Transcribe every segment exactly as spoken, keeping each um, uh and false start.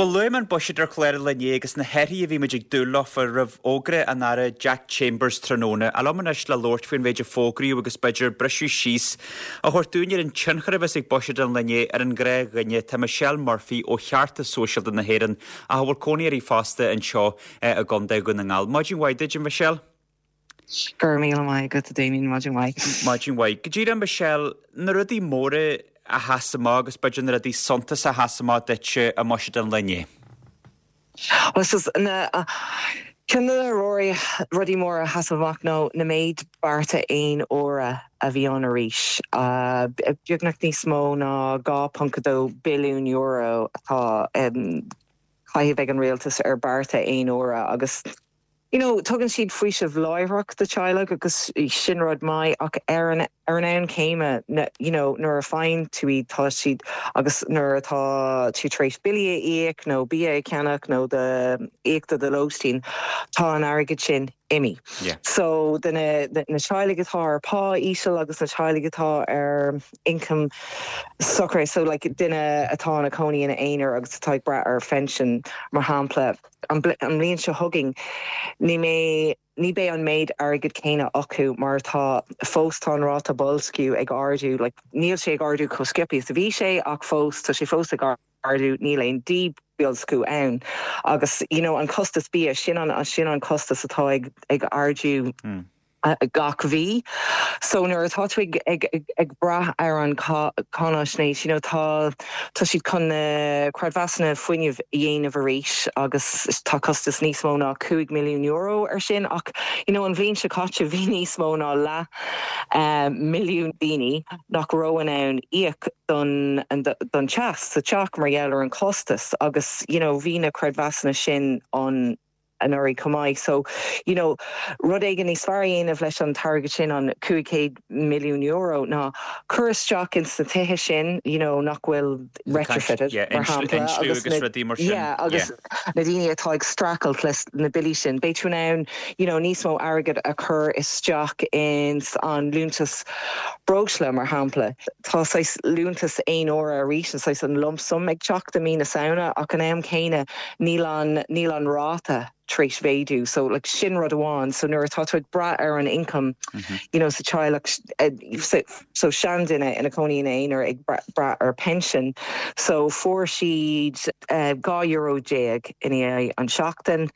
Bhuel, luaigh mé an buiséad ar chlár an lae inné agus na hathruithe a bhí muid ag dúil leofa roimh fhógra an Aire Jack Chambers tráthnóna. Ach liom anois le labhairt faoin mhéid a fógraíodh agus b'fhéidir briseadh síos a thabhairt dúinn ar an tionchar a bheas ag buiséad an lae inné ar an ghnáthdhuine, tá Michelle Murphy ó Cheartas Sóisialta na hÉireann ach a bhfuil cónaí uirthi fosta anseo i gContae Dhún na nGall. Maidin mhaith duit, a Michelle. Go raibh míle maith agat, Damien, maidin mhaith. Maidin mhaith. Go díreach, Michelle, na rudaí móra a sheas amach agus b'fhéidir na rudaí suntasacha a sheas amach duit i mbuiséad an lae inné. Well, na ceann de na rudaí móra a sheas amach ná na méid bearta aon uaire a bhí ann arís. Uh, beagnach níos mó ná dhá ponc dó billiún euro atá um, caitheamh ag an rialtas ar bearta aon uaire agus you know, tugann siad faoiseamh láithreach do teaghlaigh agus sin rud maith ach ar an ar an am céanna you know, nuair a faigheann tú iad tá siad agus nuair atá tú tar éis billí a íoc nó bia a cheannach nó do íoc do do lóistín tá an airgead sin imithe. Yeah. So de na, na teaghlaigh atá ar pá íseal agus na teaghlaigh atá ar income socair so like, duine atá ina cónaí ina aonar agus atá ag brath ar phension mar shampla an bhliain seo chugainn ní mé ní bheidh an méid airgead céanna acu mar tá fós tá an ráta boilsciú ag ardú like, níl sé ag ardú chomh sciobtha is a bhí sé ach fós tá sé fós ag ardú níl aon díbhoilsciú ann agus you know, an costas bia sin an sin an costas atá ag ag ardú mm. gach mhí. So nuair atá tú ag, ag, ag, ag brath ar an cáinaisnéis, you know, tá tá siad chun na creidmheasanna fuinnimh a dhéanamh arís agus tá costas níos mó ná cúig milliún euro ar sin ach you know, an bhliain seo caite bhí níos mó ná leath um, milliún daoine nach raibh in ann íoc don, don teas sa teach mar gheall ar an costas agus you know, bhí na creidmheasanna sin an anuraidh chomh maith. So you know, rud éigin níos fearr a dhéanamh leis an t-airgead sin an cúig chéad milliún euro ná cur isteach in sna tithe sin you know, nach bhfuil retrofitted mar shampla agus yeah, agus na daoine atá ag streachailt leis na billí sin. Beidh tú in ann you know, níos mó airgead a chur isteach in an liúntas breosla mar shampla. Tá saghas liúntas aon uaire arís an saghas an lump sum ag teacht i mí na Samhna ach an am céanna níl an níl an ráta tar éis méadú so like sin rud amháin so nuair atá tú ag brath ar an income mm -hmm. you know sa teaghlach uh, so, so seanduine ina cónaí ina aonar ag brath ar pension so fuair siad uh, dhá euro déag in aghaidh an seachtain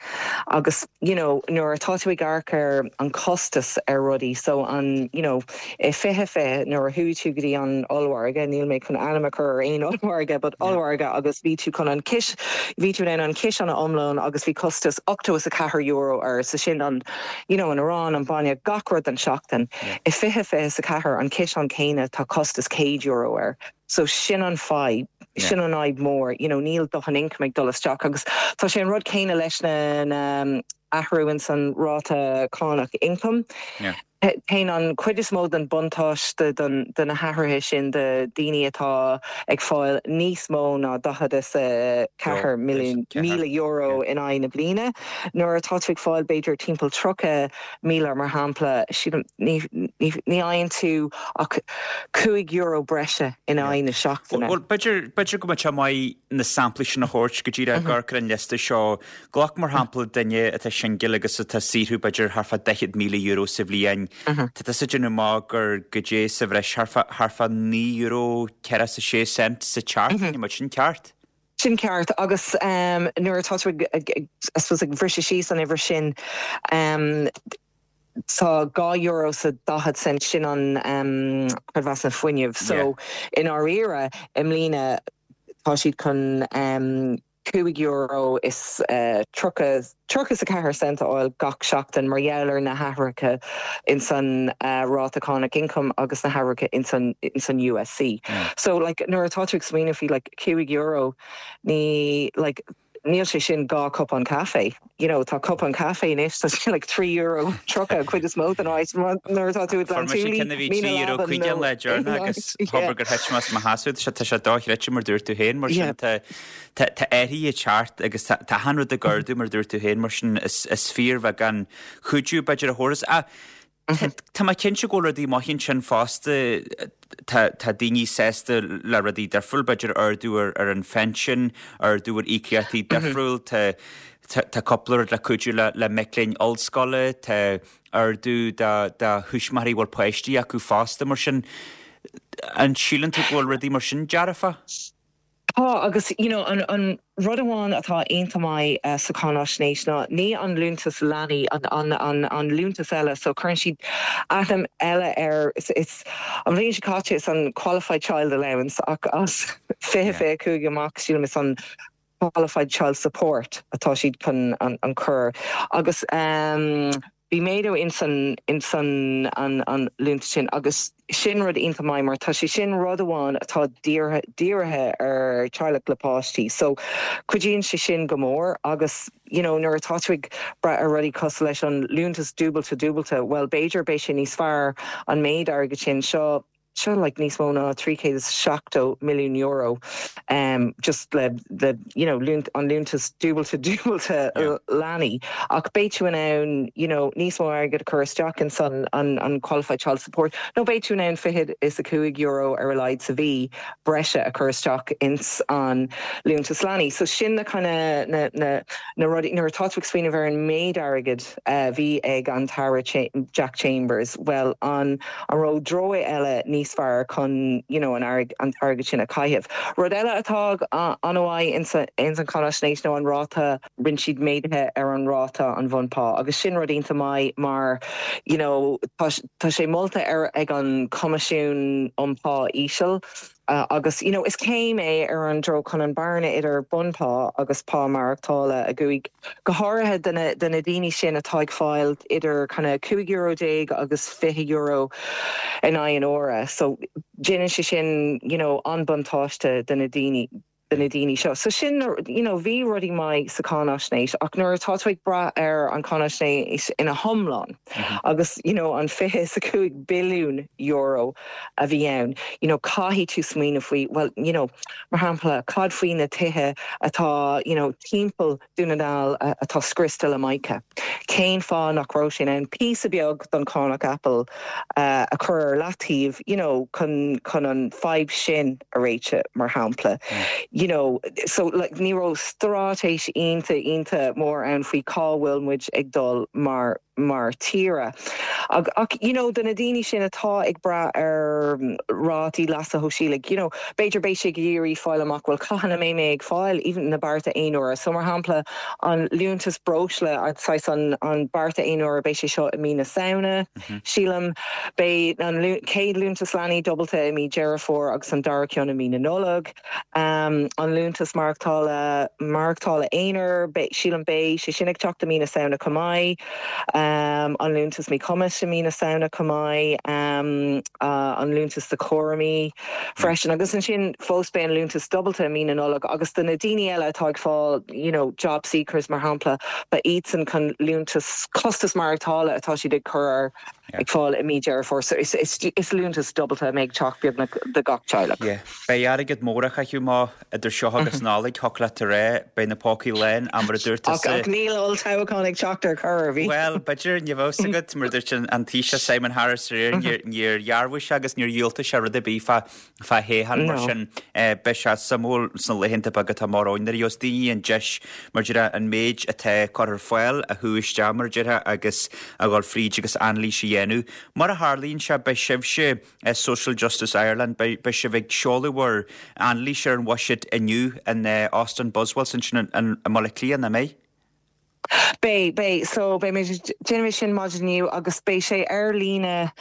agus you know nuair atá tú ag amharc ar an costas ar rudaí so an you know i fiche fiche nuair a chuaigh tú go dtí an ollmhargadh níl mé chun ainm a chur ar aon ollmhargadh but ollmhargadh agus bhí tú chun an cis bhí tú an ciseán iomlán agus bhí costas ochtó is a ceathair euro ar sa sin an you know an arán an bainne gach rud an seachtain i fiche fiche a ceathair an ciseán céanna tá costas céad euro air so sin an fadhb sin an fhadhb mór you know níl dóthain income ag dul isteach agus tá sé an rud céanna leis na na athrú in san ráta cánach income yeah. Téann an chuid is mó den buntáiste de na hathruithe sin do daoine atá ag fáil níos mó ná daichead is a ceathair míle euro in aghaidh na bliana. Nuair atá tú ag fáil b'fhéidir timpeall tríocha míle mar shampla ní fhaigheann tú ach cúig euro breise in aghaidh na seachtaine. Well b'fhéidir b'fhéidir go mbeadh sé maith na samplaí sin a thabhairt go díreach ag amharc ar an liosta seo glac mar shampla duine atá singil agus atá ag saothrú b'fhéidir thart fá daichead míle euro sa bhliain. Tá tusa ag déanamh amach gur go dté sa bhreis thart fá naoi euro ceathracha is a sé cent sa tseachtain, an sin ceart? Sin ceart agus um, nuair atá tú ag briseadh síos an uimhir sin um, tá dhá euro is daichead cent sin an um, creidmheasanna fuinnimh. So yeah. in áirithe i mbliana tá siad chun um, cúig euro is uh, tríocha tríocha a ceathair cent a fháil gach seachtain mar gheall ar na hathruithe in san uh, ráta cánach income agus na hathruithe in san in san U S C. Mm. So like nuair atá tú ag smaoineamh faoi like cúig euro ní like níl sé sin dhá cupán caife. You know, tá cupán caife anois tá sin like trí euro tríocha cuid is mó den áit nuair atá tú trí chuige le dearna agus thobar gur thit mé as mo sheasamh sé tá sé dochreidte mar dúirt tú féin mar sin tá tá athruithe ag teacht agus tá an rud ag ardú mar dúirt tú féin mar sin is is fíorbheagán cuidiú b'fhéidir a thabhairt. Tá mé cinnte go bhfuil rudaí maithe ansin fosta tá tá daoine sásta le rudaí difriúil, b'fhéidir ardú ar ar an phension, ardú ar íocaíochtaí difriúil, tá tá cúpla rud le cuidiú le le mic léinn ollscoile, tá ardú do do thuismitheoirí a bhfuil páistí acu fosta mar sin. An síleann tú go bhfuil rudaí mar sin dearfa? Tá agus you know, an, an rud amháin atá iontach maith uh, sa cháinaisnéis ná ní an liúntas leanaí an, an, an, an liúntas eile, so cuireann siad ainm eile ar is, is an bhliain seo caite is an qualified child allowance ach as fiche fiche cúig amach sílim is an qualified child support atá siad chun an, an chur agus um, Bhí méadú in san in san an an liúntas sin agus sin rud iontach maith mar tá sé sin rud amháin atá dírithe ar teaghlach le páistí. So cuidíonn sé sin go mór agus you know, nuair atá tú ag brath ar rudaí cosúil leis an liúntas dúbailte dúbailte, well b'fhéidir beidh sé níos fearr an méid airgead sin seo seo like níos mó ná trí chéad is seachtó milliún euro um, just le le you know liúnt, an liúntas dúbailte dúbailte yeah. leanaí ach beidh tú in ann you know níos mó airgead chur isteach in san an, an qualified child support nó beidh tú in ann fiche is a cúig euro ar a laghad sa mhí breise a chur isteach ins an liúntas leanaí so sin na kind of na na na rudaí nuair atá tú ag smaoineamh ar an méid airgead uh, bhí ag an tAire Jack Chambers well an an raibh dóigh eile níos fearr chun you know, an an t-airgead sin a chaitheamh. Rud eile atá an-mhaith ins an cháinaisnéis nó an ráta rinne siad méaduithe ar an ráta an bhunphá, agus sin rud iontach maith mar you know, tá sé molta ar ag an Coimisiún um Pá Íseal. Uh, agus you know, is céim é ar an dtreo chun an bearna idir bunphá agus pá maireachtála a chúngú go háirithe de na daoine sin atá ag fáil idir kind of cúig euro déag agus fiche euro in aghaidh an uaire. So déanann sé sin you know, an buntáiste de na daoine de na daoine seo. So sin you know, bhí rudaí maith sa cháinaisnéis ach nuair atá tú ag brath ar an cháinaisnéis ina hiomlán mm -hmm. agus you know, an fiche is a cúig billiún euro a bhí ann. You know, caithfidh tú smaoineamh faoi well you know, mar shampla cad faoi na tithe atá you know, timpeall Dún na nGall atá scriosta le mica. Cén fáth nach raibh sin an píosa beag don chánach Apple uh, a chur ar leataobh you know, chun chun an fadhb sin a réiteach mar shampla. Mm. You know, so like, ní raibh straitéis iontach iontach mór ann faoi cá bhfuil muid ag dul mar mar tír. Ach, ach you know, de na daoine sin atá ag brath ar rátaí leasa shóisialaigh, you know, b'fhéidir beidh sé géirí fáil amach bhfuil cathain a mbeidh mé ag fáil even na bearta aonuaire. So mar shampla an liúntas breosla an an, an bearta aonuaire beidh sé seo i mí na Samhna, mm -hmm. Sílim beidh an chéad liúntas leanaí dúbailte i mí Deireadh Fómhair agus an dara ceann i mí na Nollag. Um, an liúntas maireachtála maireachtála aonair sílim beidh sé sin ag teacht i mí na Samhna chomh maith. Um, an liúntas míchumais i mí na Samhna chomh maith um, uh, an liúntas do chúramaí freisin agus ansin fós beidh an liúntas dúbailte i mí na Nollag agus do na daoine eile atá ag fáil you know, job seekers mar shampla ba iadsan chun liúntas costas maireachtála atá siad ag chur ag fáil i mí Deireadh Fómhair so is, is, is liúntas dúbailte ag teacht beagnach do gach teaghlach. Yeah. Beidh airgead mór á chaitheamh má idir seo agus Nollaig thig leat a rá beidh na pócaí lán mar a dúirt Ach níl olltoghchán ag teacht ar chor bhí. Well, b'fhéidir ní bheadh agat mar dúirt an Taoiseach Simon Harris níor dhearbhaigh sé agus níor dhiúltaigh sé rud ar bith fá fá thoghchán mar sin beidh sé suimiúil sna laethanta beaga atá amach romhainn nuair a gheobhas daoine an deis mar deir an méid atá curtha ar fáil a shú isteach mar deir agus a dhul fríd agus anailís a dhéanamh. Mar a tharlaíonn sé beidh sibhse Social Justice Ireland beidh sibh ag seoladh bhur anailís ar an bhuiséad inniu in Óstán Buswells ansin i mBaile Átha Cliath nach mbeidh? Beidh beidh so beidh déanfaidh sin maidin inniu agus beidh sé ar líne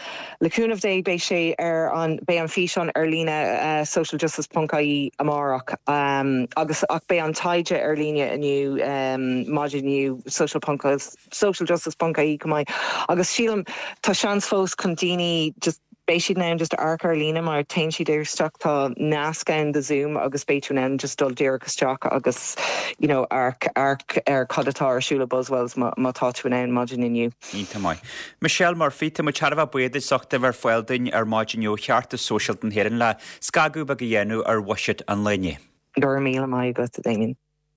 le cúnamh Dé beidh sé ar an beidh an físeán ar líne uh, socialjustice.ie amárach um, agus ach beidh an taighde ar líne inniu um, maidin inniu social socialjustice.ie chomh maith agus sílim tá seans fós chun daoine just beidh siad in ann just amharc ar líne mar téann siad isteach tá nasc ann do Zoom agus beidh tú in ann just dul díreach isteach agus you know amharc amharc ar cad atá ar siúl i Buswells má tá tú in ann maidin inniu. Iontach maith. Michelle Murphy tá muid thar a bheith buíoch as ucht a bheith ar fáil dúinn ar maidin inniu Cheartas Sóisialta na hÉireann le scagadh beag a dhéanamh ar bhuiséad an lae inné. Go raibh míle maith agat Damien.